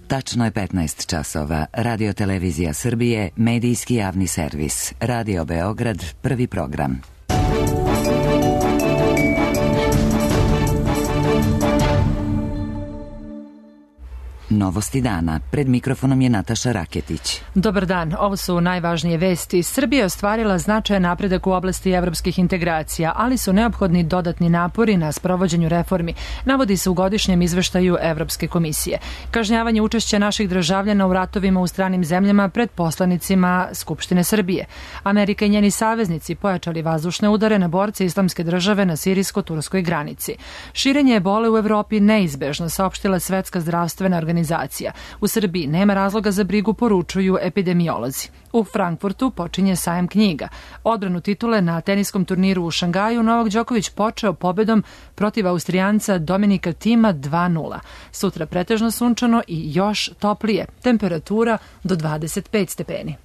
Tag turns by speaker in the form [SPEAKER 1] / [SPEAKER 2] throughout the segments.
[SPEAKER 1] Tačno je 15 časova. Radio Televizija Srbije, medijski javni servis. Radio Beograd, prvi program. Novosti dana. Pred mikrofonom je Nataša Raketić.
[SPEAKER 2] Dobar dan, ovo su najvažnije vesti. Srbija je ostvarila značajan napredak u oblasti evropskih integracija, ali su neophodni dodatni napori na sprovođenju reformi, navodi se u godišnjem izveštaju Evropske komisije. Kažnjavanje učešća naših državljana u ratovima u stranim zemljama pred poslanicima Skupštine Srbije. Amerika i njeni saveznici pojačali vazdušne udare na borce Islamske države na sirijsko-turskoj granici. Širenje ebole u Evropi neizbežno, saopštila Svetska zdravstvena organizacija. U Srbiji nema razloga za brigu, poručuju epidemiolozi. U Frankfurtu počinje sajam knjiga. Odbranu titule na teniskom turniru u Šangaju Novak Đoković počeo pobedom protiv Austrijanca Dominika Tima 2:0. Sutra pretežno sunčano i još toplije. Temperatura do 25 stepeni.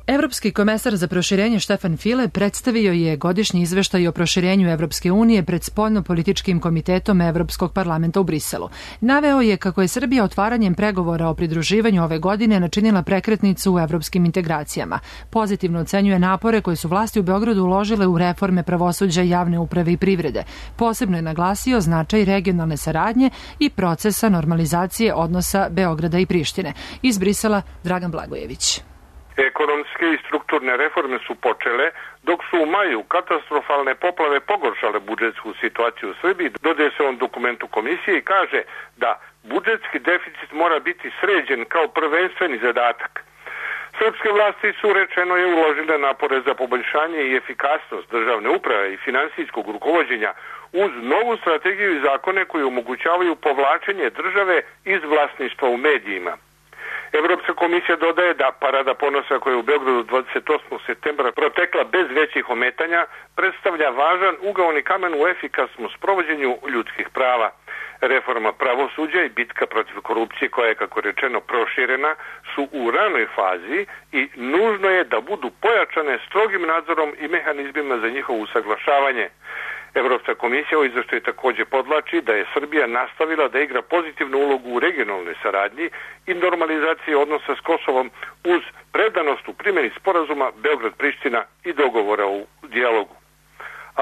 [SPEAKER 2] Evropski komesar za proširenje Štefan File predstavio je godišnji izveštaj o proširenju Evropske unije pred spoljno-političkim komitetom Evropskog parlamenta u Briselu. Naveo je kako je Srbija otvaranjem pregovora o pridruživanju ove godine načinila prekretnicu u evropskim integracijama. Pozitivno ocenjuje napore koje su vlasti u Beogradu uložile u reforme pravosuđa, javne uprave i privrede. Posebno je naglasio značaj regionalne saradnje i procesa normalizacije odnosa Beograda i Prištine. Iz Brisela Dragan Blagojević.
[SPEAKER 3] Ekonomske i strukturne reforme su počele, dok su u maju katastrofalne poplave pogoršale budžetsku situaciju u Srbiji. Dodaje se on dokumentu komisije i kaže da budžetski deficit mora biti sređen kao prvenstveni zadatak. Srpske vlasti su, rečeno je, uložile napore za poboljšanje i efikasnost državne uprave i finansijskog rukovođenja uz novu strategiju i zakone koji omogućavaju povlačenje države iz vlasništva u medijima. Evropska komisija dodaje da Parada ponosa koja je u Beogradu 28. septembra protekla bez većih ometanja predstavlja važan ugaoni kamen u efikasnom sprovođenju ljudskih prava. Reforma pravosuđa i bitka protiv korupcije koja je, kako rečeno, proširena su u ranoj fazi i nužno je da budu pojačane strogim nadzorom i mehanizmima za njihovo usaglašavanje. Evropska komisija u izveštaju također podlači da je Srbija nastavila da igra pozitivnu ulogu u regionalnoj saradnji i normalizaciji odnosa s Kosovom uz predanost u primjeni sporazuma Beograd-Priština i dogovora u dijalogu.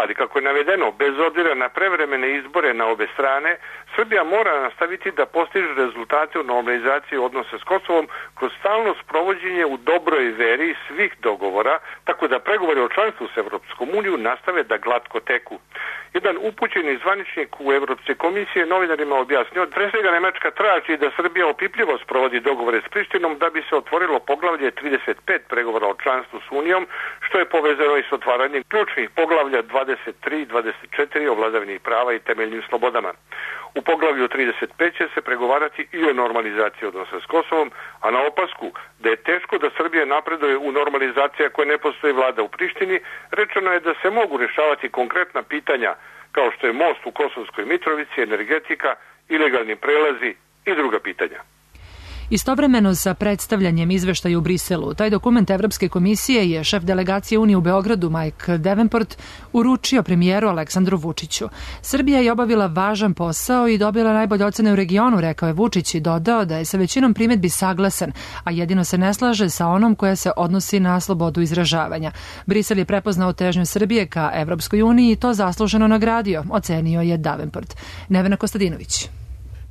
[SPEAKER 3] Ali, kako je navedeno, bez obzira na prevremene izbore na obe strane, Srbija mora nastaviti da postiže rezultate u normalizaciji odnosa s Kosovom kroz stalno sprovođenje u dobroj veri svih dogovora, tako da pregovori o članstvu s Evropskom unijom nastave da glatko teku. Jedan upućeni zvaničnik u Evropske komisije novinarima objasnio, pre svega Nemačka traži da Srbija opipljivo sprovodi dogovore s Prištinom da bi se otvorilo poglavlje 35 pregovora o članstvu s Unijom, što je povezano i s otvaranjem ključnih poglavlja 23 i 24 o vladavini prava i temeljnim slobodama. U poglavlju 35 će se pregovarati i o normalizaciji odnosa s Kosovom, a na opasku da je teško da Srbija napreduje u normalizaciji ako ne postoji vlada u Prištini, rečeno je da se mogu rješavati konkretna pitanja kao što je most u Kosovskoj Mitrovici, energetika, ilegalni prelazi i druga pitanja.
[SPEAKER 2] Istovremeno sa predstavljanjem izveštaja u Briselu, taj dokument Evropske komisije je šef delegacije Unije u Beogradu Mike Davenport uručio premijeru Aleksandru Vučiću. Srbija je obavila važan posao i dobila najbolje ocene u regionu, rekao je Vučić i dodao da je sa većinom primjedbi saglasan, a jedino se ne slaže sa onom koja se odnosi na slobodu izražavanja. Brisel je prepoznao težnju Srbije ka Evropskoj uniji i to zasluženo nagradio, ocenio je Davenport. Nevena Kostadinović.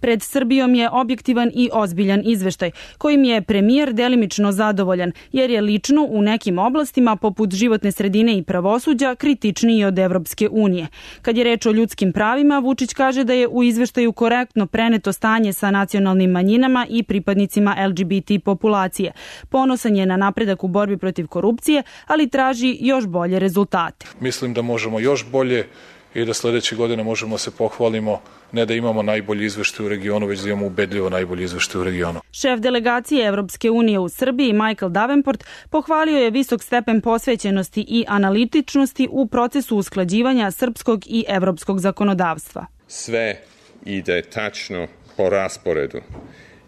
[SPEAKER 4] Pred Srbijom je objektivan i ozbiljan izveštaj, kojim je premijer delimično zadovoljan, jer je lično u nekim oblastima, poput životne sredine i pravosuđa, kritičniji od Evropske unije. Kad je reč o ljudskim pravima, Vučić kaže da je u izveštaju korektno preneto stanje sa nacionalnim manjinama i pripadnicima LGBT populacije. Ponosan je na napredak u borbi protiv korupcije, ali traži još bolje rezultate.
[SPEAKER 5] Mislim da možemo još bolje i da sledeće godine možemo se pohvalimo ne da imamo najbolji izveštaj u regionu, već da imamo ubedljivo najbolji izveštaj u regionu.
[SPEAKER 4] Šef delegacije Evropske unije u Srbiji, Michael Davenport, pohvalio je visok stepen posvećenosti i analitičnosti u procesu usklađivanja srpskog i evropskog zakonodavstva.
[SPEAKER 6] Sve ide tačno po rasporedu.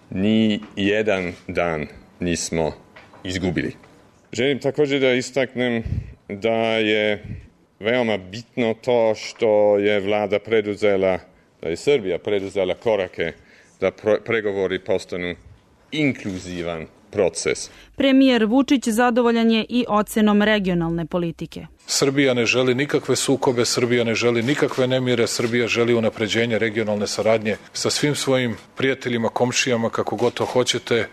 [SPEAKER 6] Ni jedan dan nismo izgubili. Želim također da istaknem da je veoma bitno to što je vlada preduzela da je Srbija preduzela korake da pregovori postanu inkluzivan proces.
[SPEAKER 4] Premijer Vučić zadovoljan je i ocenom regionalne politike.
[SPEAKER 5] Srbija ne želi nikakve sukobe, Srbija ne želi nikakve nemire, Srbija želi unapređenje regionalne saradnje sa svim svojim prijateljima, komšijama, kako god to hoćete,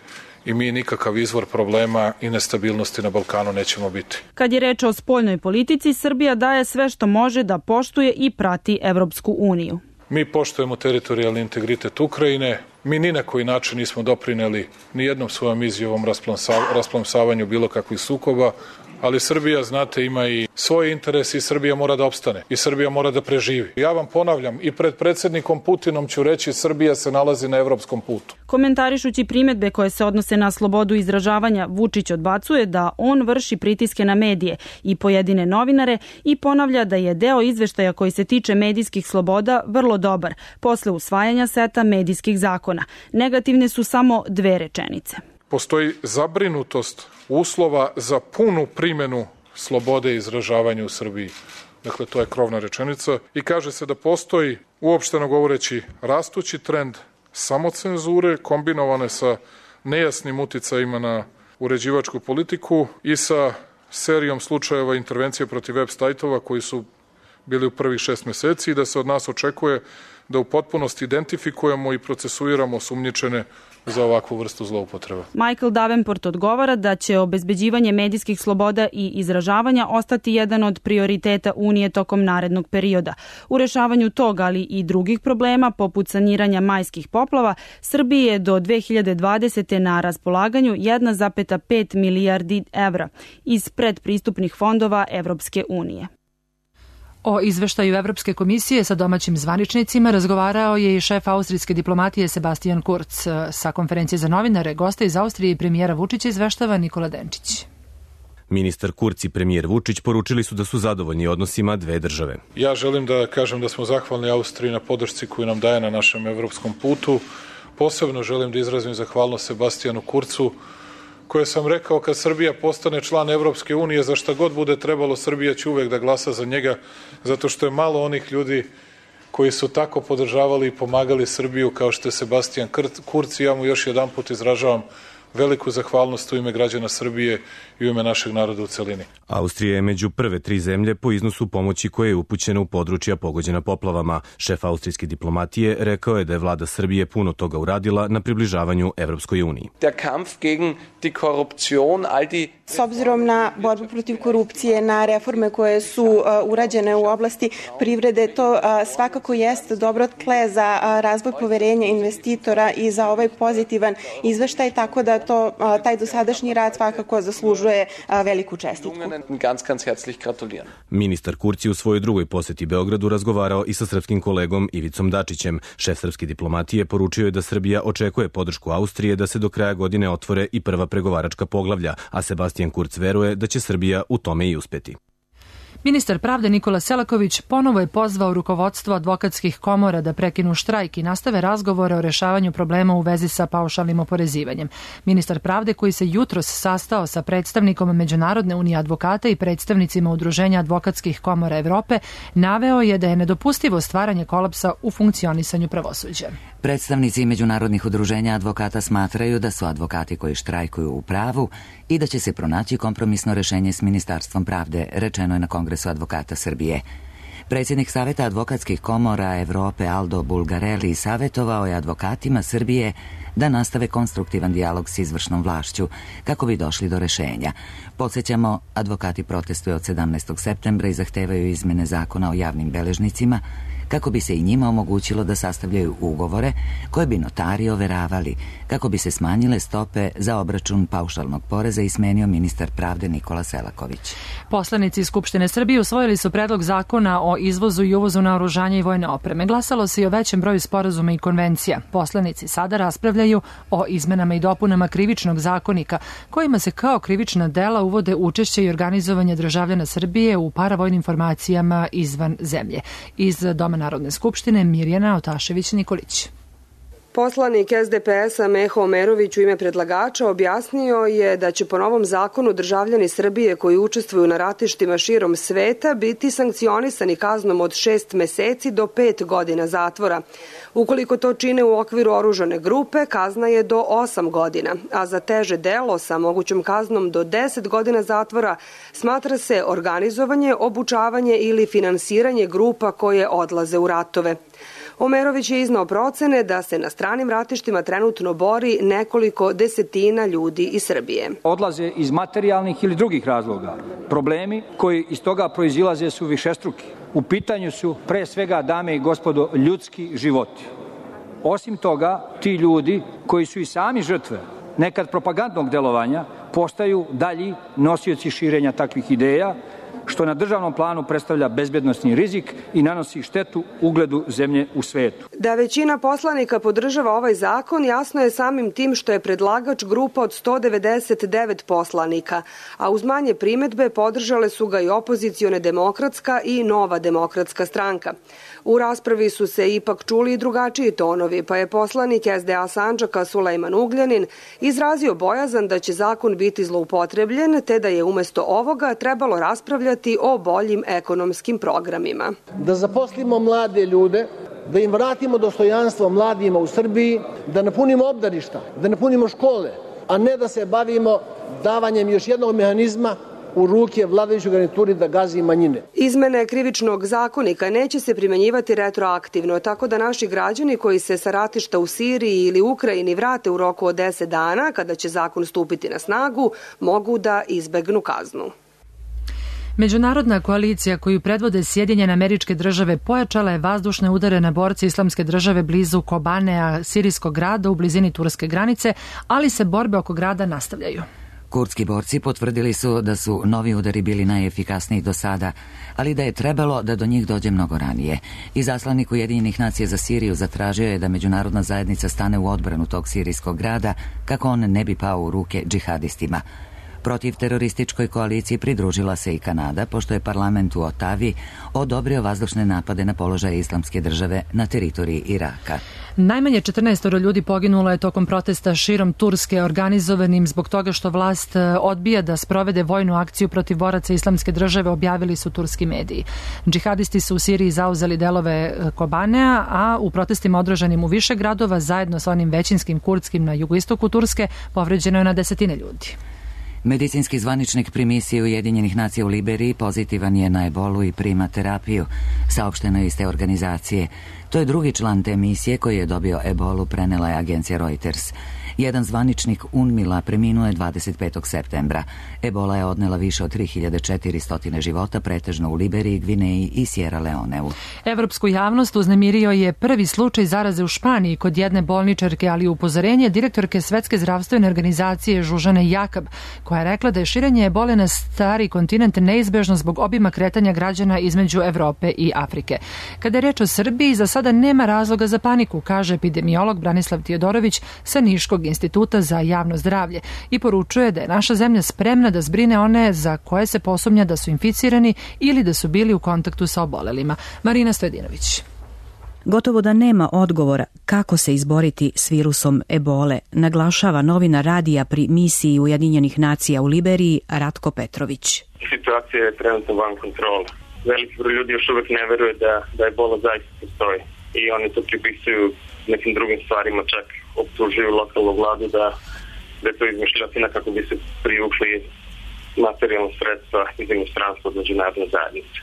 [SPEAKER 5] i mi nikakav izvor problema i nestabilnosti na Balkanu nećemo biti.
[SPEAKER 4] Kad je reč o spoljnoj politici, Srbija daje sve što može da poštuje i prati Evropsku uniju.
[SPEAKER 5] Mi poštujemo teritorijalni integritet Ukrajine, mi ni na koji način nismo doprineli ni jednom svojom izjavom rasplamsavanju bilo kakvih sukoba, ali Srbija, znate, ima i svoje interese i Srbija mora da opstane i Srbija mora da preživi. Ja vam ponavljam, i pred predsjednikom Putinom ću reći, Srbija se nalazi na evropskom putu.
[SPEAKER 4] Komentarišući primedbe koje se odnose na slobodu izražavanja, Vučić odbacuje da on vrši pritiske na medije i pojedine novinare i ponavlja da je deo izveštaja koji se tiče medijskih sloboda vrlo dobar, posle usvajanja seta medijskih zakona. Negativne su samo 2 rečenice.
[SPEAKER 5] Postoji zabrinutost uslova za punu primjenu slobode izražavanja u Srbiji. Dakle, to je krovna rečenica. I kaže se da postoji, uopšteno govoreći, rastući trend samocenzure kombinovane sa nejasnim uticajima na uređivačku politiku i sa serijom slučajeva intervencije protiv web sajtova koji su bili u prvih 6 meseci i da se od nas očekuje da u potpunosti identifikujemo i procesuiramo osumnjičene za ovakvu vrstu zloupotreba.
[SPEAKER 4] Michael Davenport odgovara da će obezbeđivanje medijskih sloboda i izražavanja ostati jedan od prioriteta Unije tokom narednog perioda. U rešavanju tog, ali i drugih problema, poput saniranja majskih poplava, Srbiji je do 2020. na raspolaganju 1,5 milijardi evra iz predpristupnih fondova Evropske unije.
[SPEAKER 2] O izveštaju Evropske komisije sa domaćim zvaničnicima razgovarao je i šef austrijske diplomatije Sebastian Kurz. Sa konferencije za novinare gosta iz Austrije i premijera Vučića izveštava Nikola Denčić.
[SPEAKER 7] Ministar Kurz i premijer Vučić poručili su da su zadovoljni odnosima 2 države.
[SPEAKER 5] Ja želim da kažem da smo zahvalni Austriji na podršci koju nam daje na našem evropskom putu. Posebno želim da izrazim zahvalnost Sebastianu Kurcu, koje sam rekao, kad Srbija postane član Evropske unije, za šta god bude trebalo, Srbija će uvek da glasa za njega, zato što je malo onih ljudi koji su tako podržavali i pomagali Srbiju kao što je Sebastian Kurz, i ja mu još jedan put izražavam veliku zahvalnost u ime građana Srbije i u ime našeg naroda u celini.
[SPEAKER 7] Austrija je među prve 3 zemlje po iznosu pomoći koje je upućena u područja pogođena poplavama. Šef austrijske diplomatije rekao je da je vlada Srbije puno toga uradila na približavanju Evropskoj uniji.
[SPEAKER 8] S obzirom na borbu protiv korupcije, na reforme koje su urađene u oblasti privrede, to svakako jeste dobro tle za razvoj poverenja investitora i za ovaj pozitivan izveštaj, tako da taj dosadašnji rad svakako zaslužuje veliku čestitku.
[SPEAKER 7] Ministar Kurz je u svojoj drugoj poseti Beogradu razgovarao i sa srpskim kolegom Ivicom Dačićem. Šef srpske diplomatije poručio je da Srbija očekuje podršku Austrije da se do kraja godine otvore i prva pregovaračka poglavlja, a Sebastian Kurz veruje da će Srbija u tome i uspeti.
[SPEAKER 2] Ministar pravde Nikola Selaković ponovo je pozvao rukovodstvo advokatskih komora da prekinu štrajk i nastave razgovore o rešavanju problema u vezi sa paušalnim oporezivanjem. Ministar pravde, koji se jutros sastao sa predstavnikom Međunarodne unije advokata i predstavnicima Udruženja advokatskih komora Evrope, naveo je da je nedopustivo stvaranje kolapsa u funkcionisanju pravosuđa.
[SPEAKER 1] Predstavnici međunarodnih udruženja advokata smatraju da su advokati koji štrajkuju u pravu i da će se pronaći kompromisno rešenje s Ministarstvom pravde, rečeno je na Kongresu advokata Srbije. Predsjednik Saveta advokatskih komora Evrope Aldo Bulgarelli savjetovao je advokatima Srbije da nastave konstruktivan dijalog s izvršnom vlašću kako bi došli do rešenja. Podsjećamo, advokati protestuju od 17. septembra i zahtevaju izmene zakona o javnim beležnicima kako bi se i njima omogućilo da sastavljaju ugovore koje bi notari overavali, kako bi se smanjile stope za obračun paušalnog poreza, i smenio ministar pravde Nikola Selaković.
[SPEAKER 2] Poslanici Skupštine Srbije usvojili su predlog zakona o izvozu i uvozu naoružanja i vojne opreme. Glasalo se i o većem broju sporazuma i konvencija. Poslanici sada raspravljaju o izmenama i dopunama Krivičnog zakonika, kojima se kao krivična dela uvode učešće i organizovanje državljana Srbije u paravojnim formacijama izvan zemlje. Iz Doma Narodne skupštine Mirjana Otašević-Nikolić.
[SPEAKER 9] Poslanik SDP-a Meho Omerović u ime predlagača objasnio je da će po novom zakonu državljani Srbije koji učestvuju na ratištima širom sveta biti sankcionisani kaznom od 6 meseci do 5 godina zatvora. Ukoliko to čine u okviru oružane grupe, kazna je do 8 godina, a za teže delo sa mogućom kaznom do 10 godina zatvora smatra se organizovanje, obučavanje ili finansiranje grupa koje odlaze u ratove. Omerović je iznao procene da se na stranim ratištima trenutno bori nekoliko desetina ljudi iz Srbije.
[SPEAKER 10] Odlaze iz materijalnih ili drugih razloga. Problemi koji iz toga proizilaze su višestruki. U pitanju su pre svega, dame i gospodo, ljudski životi. Osim toga, ti ljudi koji su i sami žrtve nekad propagandnog delovanja postaju dalji nosioci širenja takvih ideja, što na državnom planu predstavlja bezbednosni rizik i nanosi štetu ugledu zemlje u svetu.
[SPEAKER 9] Da većina poslanika podržava ovaj zakon jasno je samim tim što je predlagač grupa od 199 poslanika, a uz manje primedbe podržale su ga i opozicione Demokratska i Nova demokratska stranka. U raspravi su se ipak čuli i drugačiji tonovi, pa je poslanik SDA Sandžaka Sulejman Ugljanin izrazio bojazan da će zakon biti zloupotrebljen, te da je umesto ovoga trebalo raspravljati o boljim ekonomskim programima.
[SPEAKER 11] Da zaposlimo mlade ljude, da im vratimo dostojanstvo mladima u Srbiji, da napunimo obdaništa, da napunimo škole, a ne da se bavimo davanjem još jednog mehanizma u ruke vladajućoj garnituri da gazi manjine.
[SPEAKER 9] Izmene krivičnog zakonika neće se primenjivati retroaktivno, tako da naši građani koji se sa ratišta u Siriji ili Ukrajini vrate u roku od 10 dana, kada će zakon stupiti na snagu, mogu da izbegnu kaznu.
[SPEAKER 2] Međunarodna koalicija koju predvode Sjedinjene Američke Države pojačala je vazdušne udare na borce Islamske države blizu Kobanea, sirijskog grada u blizini turske granice, ali se borbe oko grada nastavljaju.
[SPEAKER 1] Kurdski borci potvrdili su da su novi udari bili najefikasniji do sada, ali da je trebalo da do njih dođe mnogo ranije. Izaslanik Ujedinjenih nacija za Siriju zatražio je da međunarodna zajednica stane u odbranu tog sirijskog grada kako on ne bi pao u ruke džihadistima. Protiv terorističkoj koaliciji pridružila se i Kanada, pošto je parlament u Otavi odobrio vazdušne napade na položaje Islamske države na teritoriji Iraka.
[SPEAKER 2] Najmanje 14 ljudi poginulo je tokom protesta širom Turske organizovanim zbog toga što vlast odbija da sprovede vojnu akciju protiv boraca Islamske države, objavili su turski mediji. Džihadisti su u Siriji zauzeli delove Kobanea, a u protestima održanim u više gradova zajedno sa onim većinskim kurdskim na jugoistoku Turske povređeno je na desetine ljudi.
[SPEAKER 1] Medicinski zvaničnik pri misiji Ujedinjenih nacija u Liberiji pozitivan je na ebolu i prima terapiju, saopšteno je iz te organizacije. To je drugi član te misije koji je dobio ebolu, prenela je agencija Reuters. Jedan zvaničnik UNMIL-a preminuo je 25. septembra. Ebola je odnela više od 3400 života, pretežno u Liberiji, Gvineji i Sierra Leoneu.
[SPEAKER 2] Evropsku javnost uznemirio je prvi slučaj zaraze u Španiji kod jedne bolničarke, ali upozorenje direktorke Svetske zdravstvene organizacije Žužane Jakab, koja je rekla da je širenje ebole na stari kontinent neizbežno zbog obima kretanja građana između Evrope i Afrike. Kada je reč o Srbiji, za sada nema razloga za paniku, kaže epidemiolog Branislav Tijodorović sa Niškog instituta za javno zdravlje i poručuje da je naša zemlja spremna da zbrine one za koje se posumnja da su inficirani ili da su bili u kontaktu sa obolelima. Marina Stojedinović.
[SPEAKER 12] Gotovo da nema odgovora kako se izboriti s virusom ebole, naglašava novinar radija pri misiji Ujedinjenih nacija u Liberiji Ratko Petrović.
[SPEAKER 13] Situacija je trenutno van kontrola. Veliki broj ljudi još uvek ne veruje da ebola zaista postoji i oni to pripisuju nekim drugim stvarima, čak optužuju lokalnu vladu da je to izmišljotina kako bi se privukli materijalno sredstva iz inostranstva od međunarodne zajednice.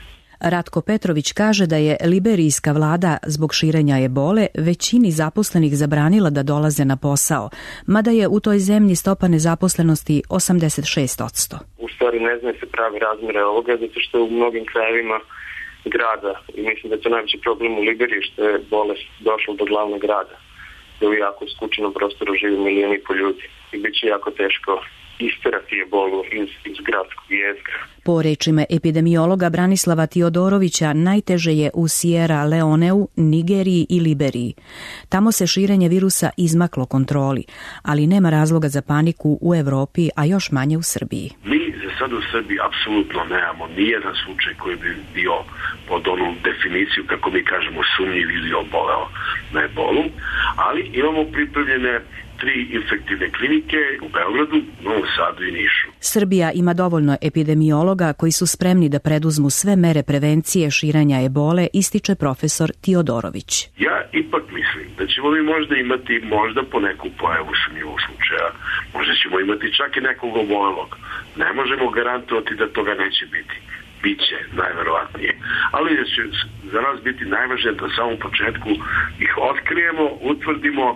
[SPEAKER 12] Ratko Petrović kaže da je liberijska vlada zbog širenja ebole većini zaposlenih zabranila da dolaze na posao, mada je u toj zemlji stopa nezaposlenosti 86%.
[SPEAKER 13] U stvari ne znaju se pravi razmere ovoga, zato što je u mnogim krajevima grada i mislim da je to najveći problem u Liberiji što je bolest došla do glavnog grada, da u jako skučenom prostoru živi 1,5 miliona ljudi i bit će jako teško isterati ebolu iz gradskog jezgra.
[SPEAKER 12] Po rečima epidemiologa Branislava Tijodorovića, najteže je u Sierra Leoneu, Nigeriji i Liberiji. Tamo se širenje virusa izmaklo kontroli, ali nema razloga za paniku u Evropi, a još manje u Srbiji.
[SPEAKER 14] Mi za sad u Srbiji apsolutno nemamo nijedan slučaj koji bi bio pod onu definiciju, kako mi kažemo, sumnjiv ili oboleo na ebolu, ali imamo pripremljene 3 infektivne klinike u Beogradu, Novom Sadu i Nišu.
[SPEAKER 12] Srbija ima dovoljno epidemiologa koji su spremni da preduzmu sve mere prevencije širenja ebole, ističe profesor Tiodorović.
[SPEAKER 14] Ja ipak mislim da ćemo mi možda imati po neku pojavu sumnjivog slučaja, možda ćemo imati čak i nekog obolelog. Ne možemo garantovati da toga neće biti. Biće, najverovatnije. Ali će za nas biti najvažnije da u samom početku ih otkrijemo, utvrdimo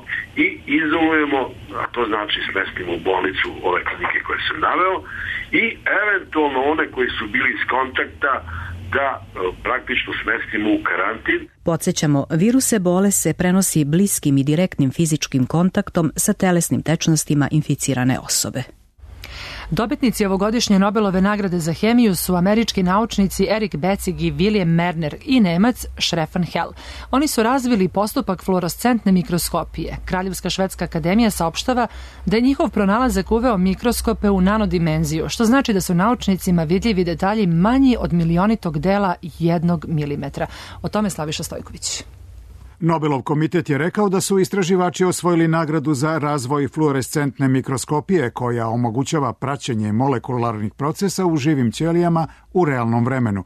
[SPEAKER 14] i izolujemo, a to znači smestimo u bolnicu ove klinike koje sam naveo i eventualno one koji su bili iz kontakta da praktično smestimo u karantin.
[SPEAKER 12] Podsjećamo, virus ebole se prenosi bliskim i direktnim fizičkim kontaktom sa telesnim tečnostima inficirane osobe.
[SPEAKER 2] Dobitnici ovogodišnje Nobelove nagrade za hemiju su američki naučnici Erik Becig i William Merner i Nemac Stefan Hell. Oni su razvili postupak fluorescentne mikroskopije. Kraljevska švedska akademija saopštava da je njihov pronalazak uveo mikroskope u nanodimenziju, što znači da su naučnicima vidljivi detalji manji od milionitog dela 1 milimetra. O tome Slaviša Stojković.
[SPEAKER 15] Nobelov komitet je rekao da su istraživači osvojili nagradu za razvoj fluorescentne mikroskopije koja omogućava praćenje molekularnih procesa u živim ćelijama u realnom vremenu.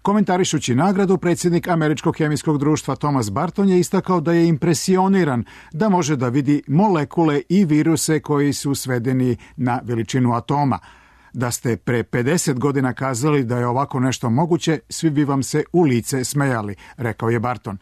[SPEAKER 15] Komentarišući nagradu, predsjednik Američkog hemijskog društva Thomas Barton je istakao da je impresioniran da može da vidi molekule i viruse koji su svedeni na veličinu atoma. Da ste pre 50 godina kazali da je ovako nešto moguće, svi bi vam se u lice smejali, rekao je Barton.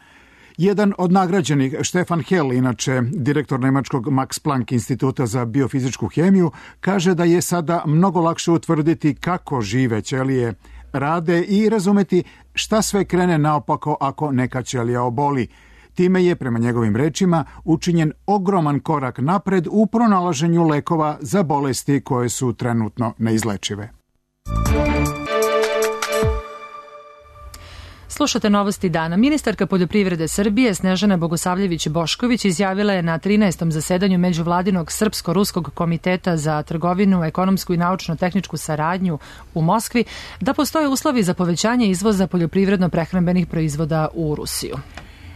[SPEAKER 15] Jedan od nagrađenih, Stefan Hell, inače direktor nemačkog Max Planck instituta za biofizičku hemiju, kaže da je sada mnogo lakše utvrditi kako žive ćelije rade i razumeti šta sve krene naopako ako neka ćelija oboli. Time je, prema njegovim rečima, učinjen ogroman korak napred u pronalaženju lekova za bolesti koje su trenutno neizlečive.
[SPEAKER 2] Slušate novosti dana. Ministarka poljoprivrede Srbije Snežana Bogosavljević-Bošković izjavila je na 13. zasedanju Međuvladinog Srpsko-Ruskog komiteta za trgovinu, ekonomsku i naučno-tehničku saradnju u Moskvi da postoje uslovi za povećanje izvoza poljoprivredno-prehrambenih proizvoda u Rusiju.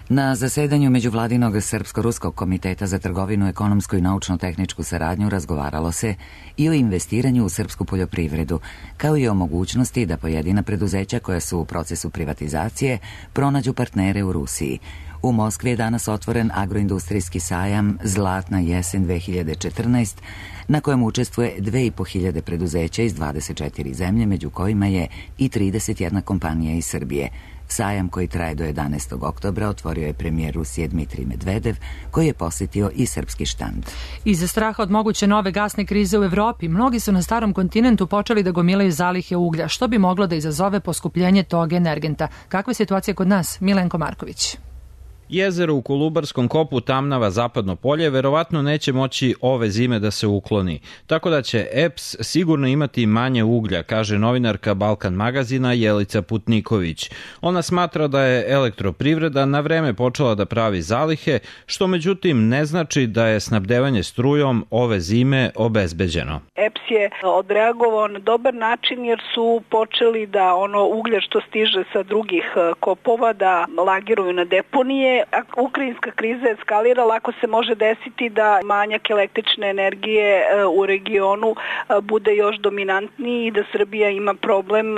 [SPEAKER 1] Na zasedanju Međuvladinog Srpsko-Ruskog komiteta za trgovinu, ekonomsku i naučno-tehničku saradnju razgovaralo se i o investiranju u srpsku poljoprivredu, kao i o mogućnosti da pojedina preduzeća koja su u procesu privatizacije pronađu partnere u Rusiji. U Moskvi je danas otvoren agroindustrijski sajam Zlatna jesen 2014, na kojem učestvuje 2500 preduzeća iz 24 zemlje, među kojima je i 31 kompanija iz Srbije. Sajam koji traje do 11. oktobra otvorio je premijer Rusije Dmitrij Medvedev, koji je posjetio i srpski štand.
[SPEAKER 2] Iza straha od moguće nove gasne krize u Evropi, mnogi su na starom kontinentu počeli da gomilaju zalihe uglja, što bi moglo da izazove poskupljenje tog energenta. Kakva je situacija kod nas? Milenko Marković.
[SPEAKER 16] Jezero u Kolubarskom kopu Tamnava Zapadno polje verovatno neće moći ove zime da se ukloni, tako da će EPS sigurno imati manje uglja, kaže novinarka Balkan magazina Jelica Putniković. Ona smatra da je elektroprivreda na vreme počela da pravi zalihe, što međutim ne znači da je snabdevanje strujom ove zime obezbeđeno.
[SPEAKER 17] EPS je odreagovao na dobar način jer su počeli da ono uglje što stiže sa drugih kopova da lagiruju na deponije. Ako ukrajinska kriza eskalira, lako se može desiti da manjak električne energije u regionu bude još dominantniji i da Srbija ima problem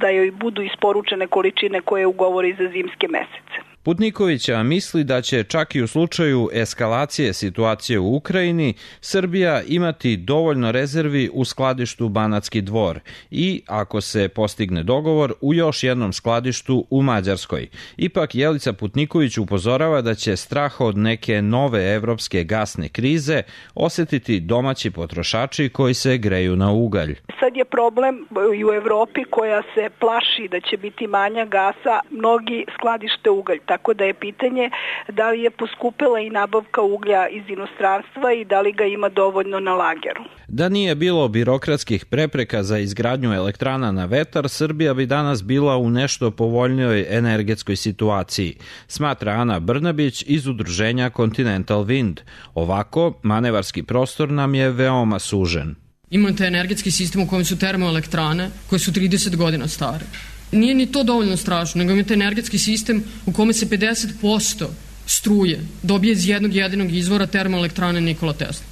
[SPEAKER 17] da joj budu isporučene količine koje ugovori za zimske mesece.
[SPEAKER 16] Putnikovića misli da će čak i u slučaju eskalacije situacije u Ukrajini Srbija imati dovoljno rezervi u skladištu Banatski Dvor i, ako se postigne dogovor, u još jednom skladištu u Mađarskoj. Ipak Jelica Putniković upozorava da će strah od neke nove evropske gasne krize osetiti domaći potrošači koji se greju na ugalj.
[SPEAKER 17] Sad je problem i u Evropi koja se plaši da će biti manja gasa, mnogi skladište ugalj. Tako da je pitanje da li je poskupila i nabavka uglja iz inostranstva i da li ga ima dovoljno na lageru.
[SPEAKER 16] Da nije bilo birokratskih prepreka za izgradnju elektrana na vetar, Srbija bi danas bila u nešto povoljnijoj energetskoj situaciji, smatra Ana Brnabić iz udruženja Continental Wind. Ovako, manevarski prostor nam je veoma sužen.
[SPEAKER 18] Imate energetski sistem u kojem su termoelektrane koje su 30 godina stare. Nije ni to dovoljno strašno, nego imate energetski sistem u kome se 50% struje dobije iz jednog jedinog izvora termoelektrane Nikola Tesla.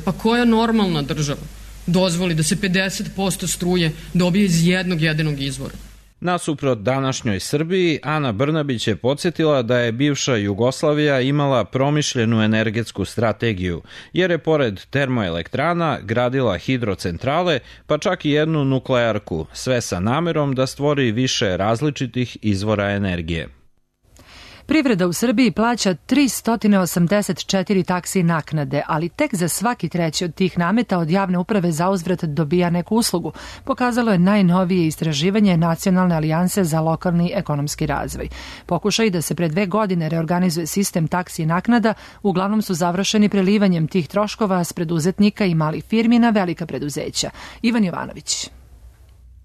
[SPEAKER 18] Pa koja normalna država dozvoli da se 50% struje dobije iz jednog jedinog izvora?
[SPEAKER 16] Nasuprot današnjoj Srbiji, Ana Brnabić je podsjetila da je bivša Jugoslavija imala promišljenu energetsku strategiju, jer je pored termoelektrana gradila hidrocentrale, pa čak i jednu nuklearku, sve sa namerom da stvori više različitih izvora energije.
[SPEAKER 2] Privreda u Srbiji plaća 384 taksi naknade, ali tek za svaki treći od tih nameta od javne uprave zauzvrat dobija neku uslugu, pokazalo je najnovije istraživanje Nacionalne alijanse za lokalni ekonomski razvoj. Pokušaj da se pre 2 godine reorganizuje sistem taksi naknada uglavnom su završeni prelivanjem tih troškova s preduzetnika i malih firmi na velika preduzeća. Ivan Jovanović.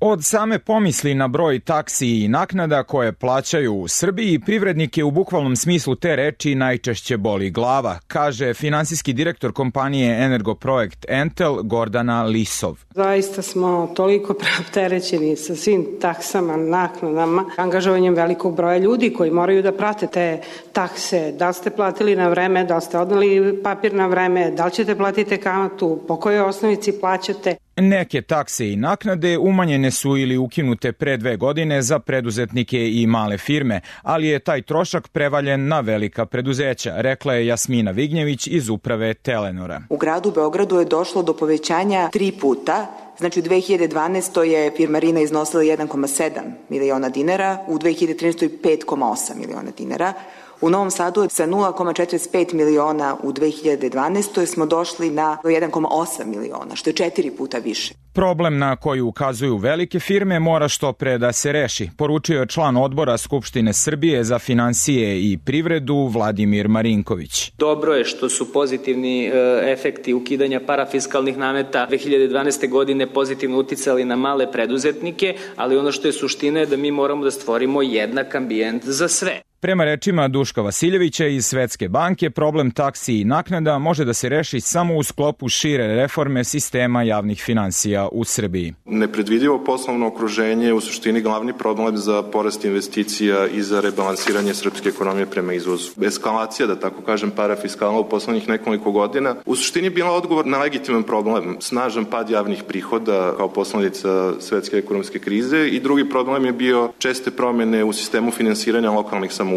[SPEAKER 19] Od same pomisli na broj taksi i naknada koje plaćaju u Srbiji, privrednike u bukvalnom smislu te reči najčešće boli glava, kaže finansijski direktor kompanije Energoprojekt Entel Gordana Lisov.
[SPEAKER 20] Zaista smo toliko preopterećeni sa svim taksama, naknadama, angažovanjem velikog broja ljudi koji moraju da prate te takse, da li ste platili na vreme, da li ste odneli papir na vreme, da li ćete platiti kamatu, po kojoj osnovici plaćate.
[SPEAKER 19] Neke takse i naknade umanjene su ili ukinute pre 2 godine za preduzetnike i male firme, ali je taj trošak prevaljen na velika preduzeća, rekla je Jasmina Vignjević iz uprave Telenora.
[SPEAKER 21] U gradu Beogradu je došlo do povećanja 3 puta. Znači u 2012. je firmarina iznosila 1,7 miliona dinara, u 2013. 5,8 miliona dinara. U Novom Sadu sa 0,45 miliona u 2012. smo došli na 1,8 miliona, što je 4 puta više.
[SPEAKER 19] Problem na koji ukazuju velike firme mora što pre da se reši, poručio je član odbora Skupštine Srbije za finansije i privredu Vladimir Marinković.
[SPEAKER 22] Dobro je što su pozitivni efekti ukidanja parafiskalnih nameta 2012. godine pozitivno uticali na male preduzetnike, ali ono što je suština je da mi moramo da stvorimo jednak ambijent za sve.
[SPEAKER 19] Prema rečima Duška Vasiljevića iz Svetske banke, problem taksi i naknada može da se reši samo u sklopu šire reforme sistema javnih finansija u Srbiji.
[SPEAKER 23] Nepredvidivo poslovno okruženje je u suštini glavni problem za porast investicija i za rebalansiranje srpske ekonomije prema izvozu. Eskalacija, da tako kažem, parafiskalna u poslednjih nekoliko godina u suštini bila odgovor na legitiman problem, snažan pad javnih prihoda kao posledica svetske ekonomske krize i drugi problem je bio česte promene u sistemu finansiranja lokalnih samouprava.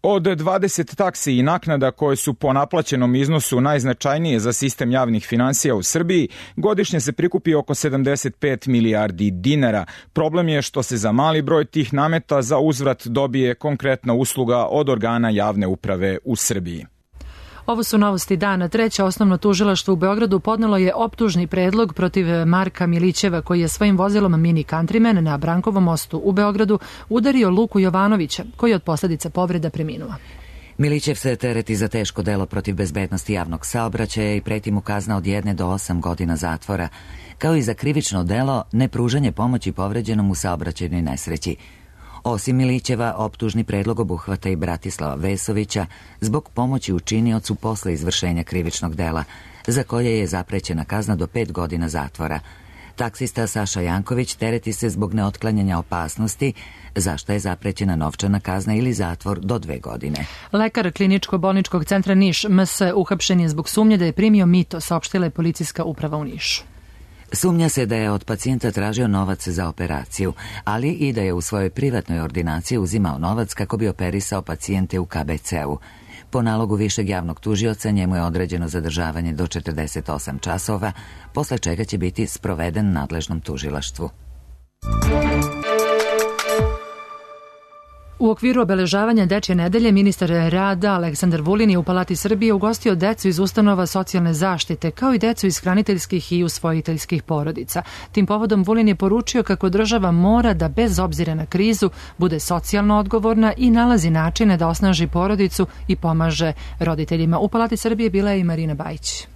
[SPEAKER 19] Od 20 taksi i naknada koje su po naplaćenom iznosu najznačajnije za sistem javnih finansija u Srbiji, godišnje se prikupi oko 75 milijardi dinara. Problem je što se za mali broj tih nameta za uzvrat dobije konkretna usluga od organa javne uprave u Srbiji.
[SPEAKER 2] Ovo su novosti dana. Treće osnovno tužilaštvo u Beogradu podnelo je optužni predlog protiv Marka Milićeva koji je svojim vozilom Mini Countryman na Brankovom mostu u Beogradu udario Luku Jovanovića koji je od posledica povreda preminuo.
[SPEAKER 1] Milićev se tereti za teško delo protiv bezbednosti javnog saobraćaja i preti mu kazna od 1 do 8 godina zatvora, kao i za krivično delo nepružanje pomoći povređenom u saobraćajnoj nesreći. Osim Milićeva, optužni predlog obuhvata i Bratislava Vesovića zbog pomoći učiniocu posle izvršenja krivičnog dela, za koje je zaprećena kazna do 5 godina zatvora. Taksista Saša Janković tereti se zbog neotklanjanja opasnosti, za što je zaprećena novčana kazna ili zatvor do 2 godine.
[SPEAKER 2] Lekar Kliničko-bolničkog centra Niš MS uhapšen je zbog sumnje da je primio mito, saopštila je policijska uprava u Nišu.
[SPEAKER 1] Sumnja se da je od pacijenta tražio novac za operaciju, ali i da je u svojoj privatnoj ordinaciji uzimao novac kako bi operisao pacijente u KBC-u. Po nalogu višeg javnog tužioca njemu je određeno zadržavanje do 48 časova, posle čega će biti sproveden nadležnom tužilaštvu.
[SPEAKER 2] U okviru obeležavanja Dečje nedelje ministar rada Aleksandar Vulin je u Palati Srbije ugostio decu iz ustanova socijalne zaštite, kao i decu iz hraniteljskih i usvojiteljskih porodica. Tim povodom Vulin je poručio kako država mora da bez obzira na krizu bude socijalno odgovorna i nalazi načine da osnaži porodicu i pomaže roditeljima. U Palati Srbije bila je i Marina Bajić.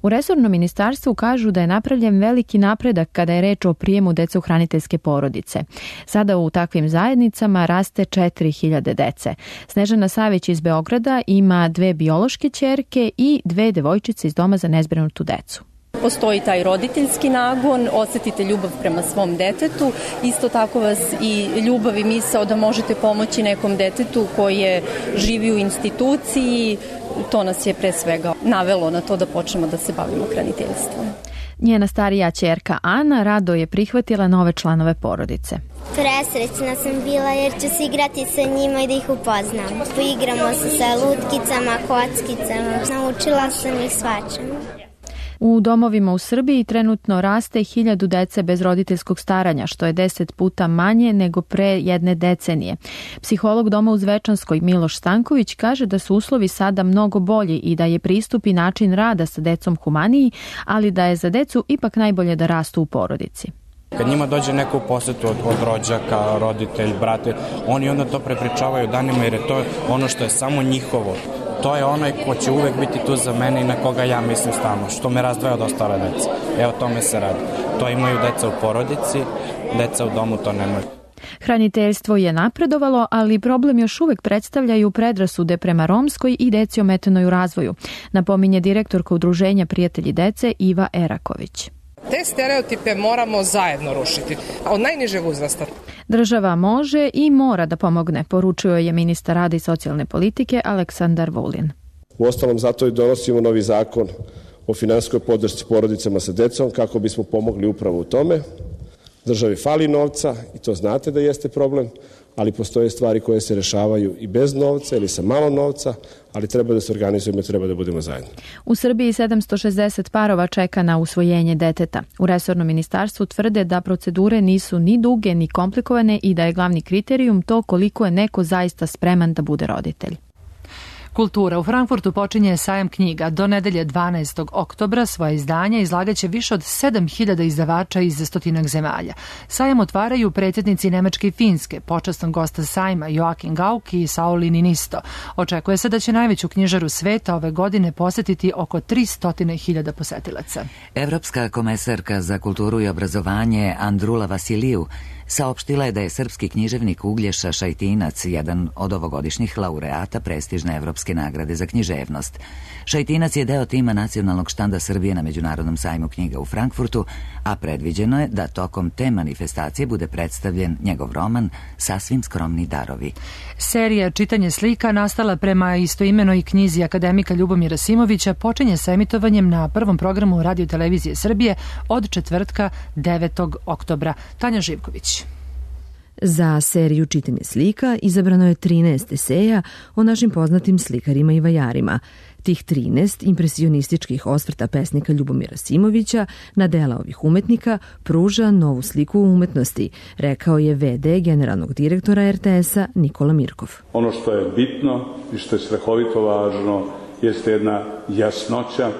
[SPEAKER 24] U resornom ministarstvu kažu da je napravljen veliki napredak kada je reč o prijemu dece u hraniteljske porodice. Sada u takvim zajednicama raste 4000 dece. Snežana Savić iz Beograda ima 2 biološke ćerke i 2 devojčice iz doma za nezbrinutu decu.
[SPEAKER 3] Postoji taj roditeljski nagon, osetite ljubav prema svom detetu, isto tako vas i ljubav i misao da možete pomoći nekom detetu koje živi u instituciji, to nas je pre svega navelo na to da počnemo da se bavimo hraniteljstvom.
[SPEAKER 24] Njena starija ćerka Ana rado je prihvatila nove članove porodice.
[SPEAKER 4] Presrećna sam bila jer ću se igrati sa njima i da ih upoznam. Poigramo se sa lutkicama, kockicama, naučila sam ih svačemu.
[SPEAKER 24] U domovima u Srbiji trenutno raste 1000 dece bez roditeljskog staranja, što je 10 puta manje nego pre jedne decenije. Psiholog doma u Zvečanskoj Miloš Stanković kaže da su uslovi sada mnogo bolji i da je pristup i način rada sa decom humaniji, ali da je za decu ipak najbolje da rastu u porodici.
[SPEAKER 5] Kad njima dođe neko u posetu od rođaka, roditelj, brate, oni onda to prepričavaju danima jer je to ono što je samo njihovo. To je onaj ko će uvek biti tu za mene i na koga ja mislim stalno, što me razdvaja od ostale dece. Evo tome se radi. To imaju deca u porodici, deca u domu to nemaju.
[SPEAKER 24] Hraniteljstvo je napredovalo, ali problem još uvek predstavljaju predrasude prema romskoj i deci ometenoj u razvoju, napominje direktorka Udruženja Prijatelji dece Iva Eraković.
[SPEAKER 6] Te stereotipe moramo zajedno rušiti, od najnižeg uzrasta.
[SPEAKER 24] Država može i mora da pomogne, poručuje je ministar rada i socijalne politike Aleksandar Vulin.
[SPEAKER 25] Uostalom, zato i donosimo novi zakon o finansijskoj podršci porodicama sa decom kako bismo pomogli upravo u tome. Državi fali novca i to znate da jeste problem, ali postoje stvari koje se rešavaju i bez novca ili sa malo novca, ali treba da se organizujemo i treba da budemo zajedno.
[SPEAKER 24] U Srbiji 760 parova čeka na usvojenje deteta. U resornom ministarstvu tvrde da procedure nisu ni duge ni komplikovane i da je glavni kriterijum to koliko je neko zaista spreman da bude roditelj.
[SPEAKER 2] Kultura. U Frankfurtu počinje sajam knjiga. Do nedelje 12. oktobra svoje izdanje izlagaće više od 7000 izdavača iz 100 zemalja. Sajam otvaraju predsjednici Nemačke i Finske, počastan gosta sajma Joachim Gauck i Sauli Niinisto. Očekuje se da će najveću knjižaru sveta ove godine posetiti oko 300.000 posetilaca.
[SPEAKER 1] Evropska komesarka za kulturu i obrazovanje Andrula Vasiliju saopštila je da je srpski književnik Uglješa Šajtinac jedan od ovogodišnjih laureata prestižne evropske nagrade za književnost. Šajtinac je deo tima nacionalnog štanda Srbije na Međunarodnom sajmu knjiga u Frankfurtu, a predviđeno je da tokom te manifestacije bude predstavljen njegov roman Sasvim skromni darovi.
[SPEAKER 2] Serija Čitanje slika, nastala prema istoimenoj knjizi akademika Ljubomira Simovića, počinje sa emitovanjem na prvom programu Radio televizije Srbije od četvrtka 9. oktobra. Tanja Živković.
[SPEAKER 26] Za seriju Čitanje slika izabrano je 13 eseja o našim poznatim slikarima i vajarima. Tih 13 impresionističkih osvrta pesnika Ljubomira Simovića na dela ovih umetnika pruža novu sliku umetnosti, rekao je VD generalnog direktora RTS-a Nikola Mirkov.
[SPEAKER 27] Ono što je bitno i što je strahovito važno jeste jedna jasnoća,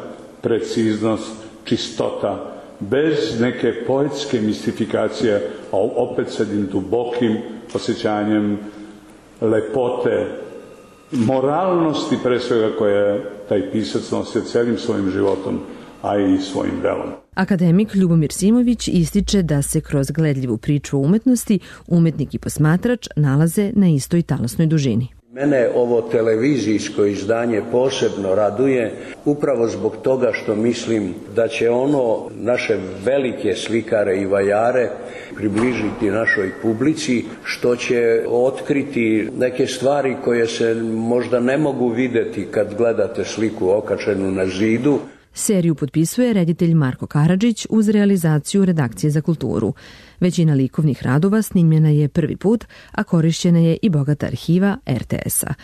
[SPEAKER 27] preciznost, čistota, bez neke poetske mistifikacije, a opet sa jednim dubokim osjećanjem lepote, moralnosti pre svega koje taj pisac nosio celim svojim životom, a i svojim delom.
[SPEAKER 26] Akademik Ljubomir Simović ističe da se kroz gledljivu priču o umetnosti umetnik i posmatrač nalaze na istoj talasnoj dužini.
[SPEAKER 28] Mene ovo televizijsko izdanje posebno raduje upravo zbog toga što mislim da će ono naše velike slikare i vajare približiti našoj publici, što će otkriti neke stvari koje se možda ne mogu videti kad gledate sliku okačenu na zidu.
[SPEAKER 26] Seriju potpisuje reditelj Marko Karadžić uz realizaciju redakcije za kulturu. Većina likovnih radova snimljena je prvi put, a korišćena je i bogata arhiva RTS-a.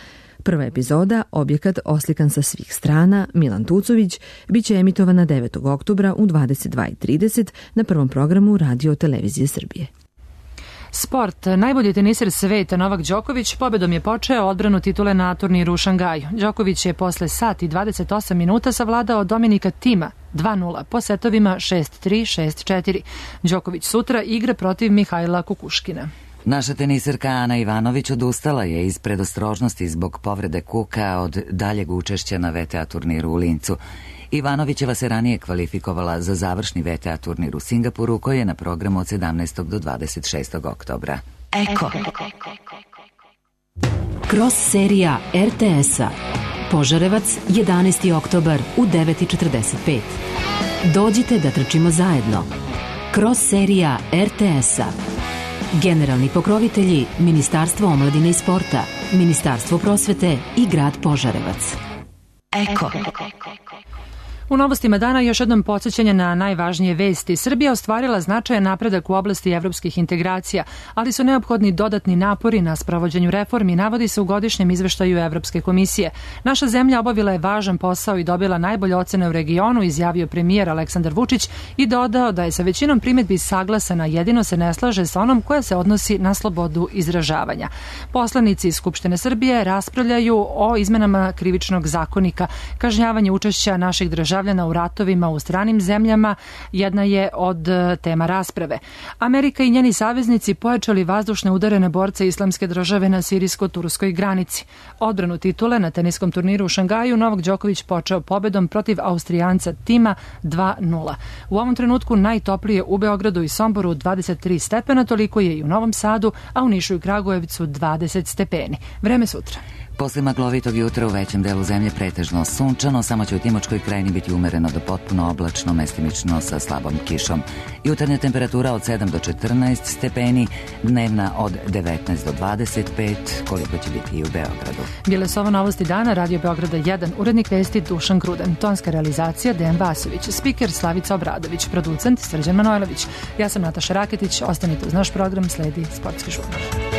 [SPEAKER 26] Prva epizoda, objekat oslikan sa svih strana, Milan Tucović, biće emitovana 9. oktobra u 22:30 na prvom programu Radio televizije Srbije.
[SPEAKER 2] Sport. Najbolji teniser sveta Novak Đoković pobedom je počeo odbranu titule na turniru u Šangaju. Đoković je posle sat i 28 minuta savladao Dominika Tima 2:0 po setovima 6-3, 6-4. Đoković sutra igra protiv Mihajla Kukuškina.
[SPEAKER 1] Naša teniserka Ana Ivanović odustala je iz predostrožnosti zbog povrede kuka od daljeg učešća na VTA turniru u Lincu. Ivanovićeva se ranije kvalifikovala za završni VTA turnir u Singapuru koji je na programu od 17. do 26. oktobra.
[SPEAKER 29] Eko. Cross serija RTS-a.
[SPEAKER 7] Požarevac, 11. oktobar u 9:45. Dođite da trčimo zajedno. Cross serija RTS-a. Generalni pokrovitelji Ministarstvo omladine i sporta, Ministarstvo prosvete i grad Požarevac. Eko.
[SPEAKER 2] U novostima dana još jednom podsjećanje na najvažnije vesti. Srbija ostvarila značajan napredak u oblasti evropskih integracija, ali su neophodni dodatni napori na sprovođenju reformi, navodi se u godišnjem izveštaju Evropske komisije. Naša zemlja obavila je važan posao i dobila najbolje ocene u regionu, izjavio premijer Aleksandar Vučić i dodao da je sa većinom primedbi saglasana, jedino se ne slaže sa onom koja se odnosi na slobodu izražavanja. Poslanici iz Skupštine Srbije raspravljaju o izmenama krivičnog zakonika. Kažnjavanje učešća naših državljana u ratovima u stranim zemljama jedna je od tema rasprave. Amerika i njeni saveznici pojačali vazdušne udare na borce Islamske države na sirijsko-turskoj granici. Odbranu titule na teniskom turniru u Šangaju Novak Đoković počeo pobedom protiv Austrijanca Tima 2:0. U ovom trenutku najtoplije u Beogradu i Somboru 23 stepena, toliko je i u Novom Sadu, a u Nišu i Kragujevcu 20 stepeni. Vreme sutra.
[SPEAKER 1] Posle maglovitog jutra u većem delu zemlje pretežno sunčano, samo će u Timočkoj krajini biti umereno do potpuno oblačno, mestimično sa slabom kišom. Jutarnja temperatura od 7 do 14 stepeni, dnevna od 19 do 25, koliko će biti i u Beogradu.
[SPEAKER 2] Bile su ovo novosti dana, Radio Beograda 1, urednik vesti Dušan Gruden, tonska realizacija Dejan Vasović, spiker Slavica Obradović, producent Srđan Manojlović. Ja sam Nataša Raketić, ostanite uz naš program, sledi Sportski žurnal.